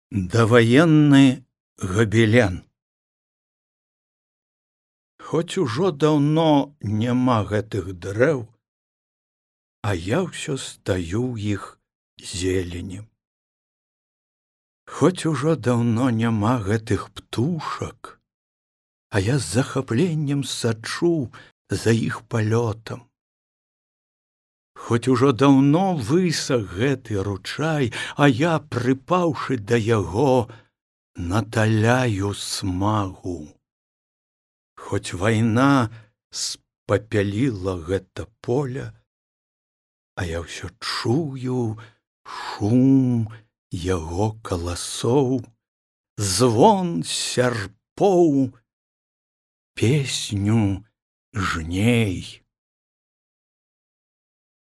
Даваенны габелен. Хоць ужо даўно няма гэтых дрэў, а я ўсё стаю ў іх зеленем. Хоць ужо даўно няма гэтых птушак, а я з захапленнем сачу за іх палётам. Хоць ужо даўно высах гэты ручай, а я, прыпаўшы да яго, наталяю смагу. Хоць вайна спапяліла гэта поле, а я ўсё чую шум яго каласоў, звон сярпоў, песню жней.